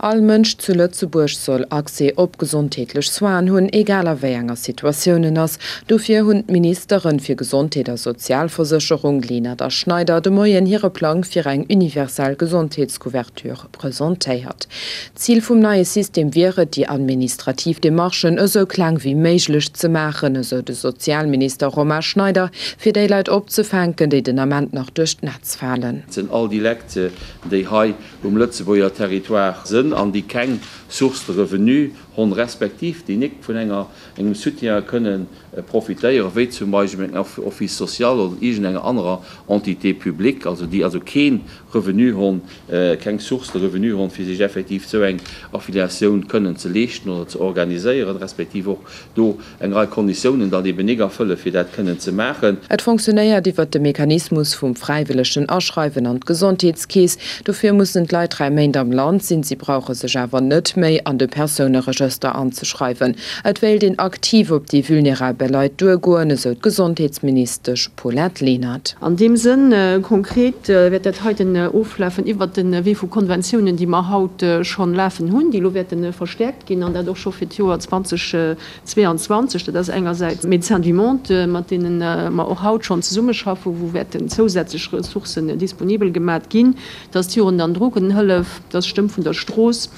All Mënsch zu Lëtzebuerg soll Accès op gesondheetlech Soinen hunn, egal a wéi enger Situatioun en ass. Dofir hunn d'Ministeren fir Gesondheet a Sozialversécherung, Lenert a Schneider, de Moien hire Plang fir eng universell Gesondheetscouverture presentéiert. Zil vum neie System wier et, déi administrativ Demarchen esou kleng wéi méiglech ze maachen, esou de Sozialminister Romain Schneider, fir déi Leit opzefänken, déi den Ament nach duerch d'Netz falen. Et sinn all déi Lekt, déi hei um Lëtzebuerger Territoire sënn an déi keng Source de revenu honn, respektiv déi nik vun enger engem Soutien kënnen profitéieren, wéi zum Beispill engem Office social oder iergend enger anerer Entité publique, also déi also kee Revenu honn, keng Source de revenu honn, fir sech effektiv esou eng Affiliatioun kënnen ze leeschten oder ze organiséieren, respektiv och do eng Rei Konditiounen dann eben nik erfëllen, fir dat kënnen ze maachen. Et fonctionnéiert iwwert de Mechanismus vum fräiwëllegen Aschreiwen an d'Gesondheetskeess. Dofir mussen d'Leit 3 Méint am Land sinn. Si brauche sech awer net méi an de Persouneregëster anzeschreiwen. Et wéilt een aktiv op déi vulnerabel Leit duergoen, esou d'Gesondheetsministesch Paulette Lenert. An deem Sënn konkret wäert dat heiten oflafen iwwert de Wee vu Konventiounen, déi mer haut schonn lafen hunn, déi elo wäerte verstäerkt ginn, an dat och scho fir d'Joer 2022. Dat ass engersäits Médecins du Monde, mat deene mer och haut schonn zesummeschaffen, wou wäerten zousätzlech Ressourcen disponibel gemat ginn. Dat ass d'Jugend an Drogenhëllef, dat ass d'Stëmm vun der Strooss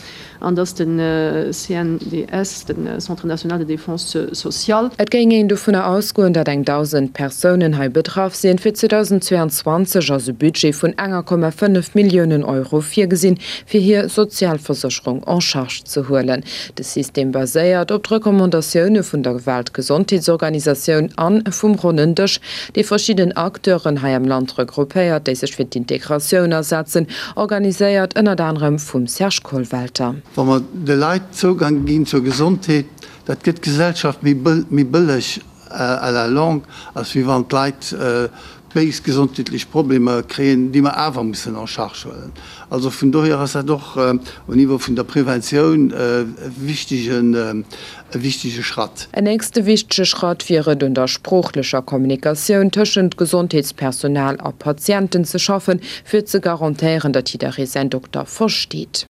an dat ass de CNDS, de Centre national de défense sociale. Et géing een dovunner ausgoen, datt eng 1.000 Persounen hei betraff sinn. Fir 2022 ass e Budget vun enger Komma 5 Milliounen Euro virgesinn, fir hir Sozialversécherung en charge ze huelen. De System baséiert op d'Recommandatioune vun der Weltgesondheetsorganisatioun an vum Ronnen Dësch, dee verschidden Acteuren hei am Land regroupéiert, déi sech fir d'Integratioun asetzen, organiséiert ënnert anerem vum Serge Kollwelter. Wa mer de Leit Zougang ginn zur Gesondheet, dat gëtt d'Gesellschaft méi bëlleg à la longue, als wéi wann d'Leit béis gesondheetlech Problemer kréien, déi mer awer mussen en charge huelen. Also vun dohier ass dat och au Niveau vun der Preventioun e wichtegen, e wichtege Schratt. En nächste wichtege Schratt wier et, un der sproochlecher Kommunikatioun tëschent Gesondheetspersonal a Patienten ze schaffen, fir ze garantéieren, datt jidderee säin Dokter versteet.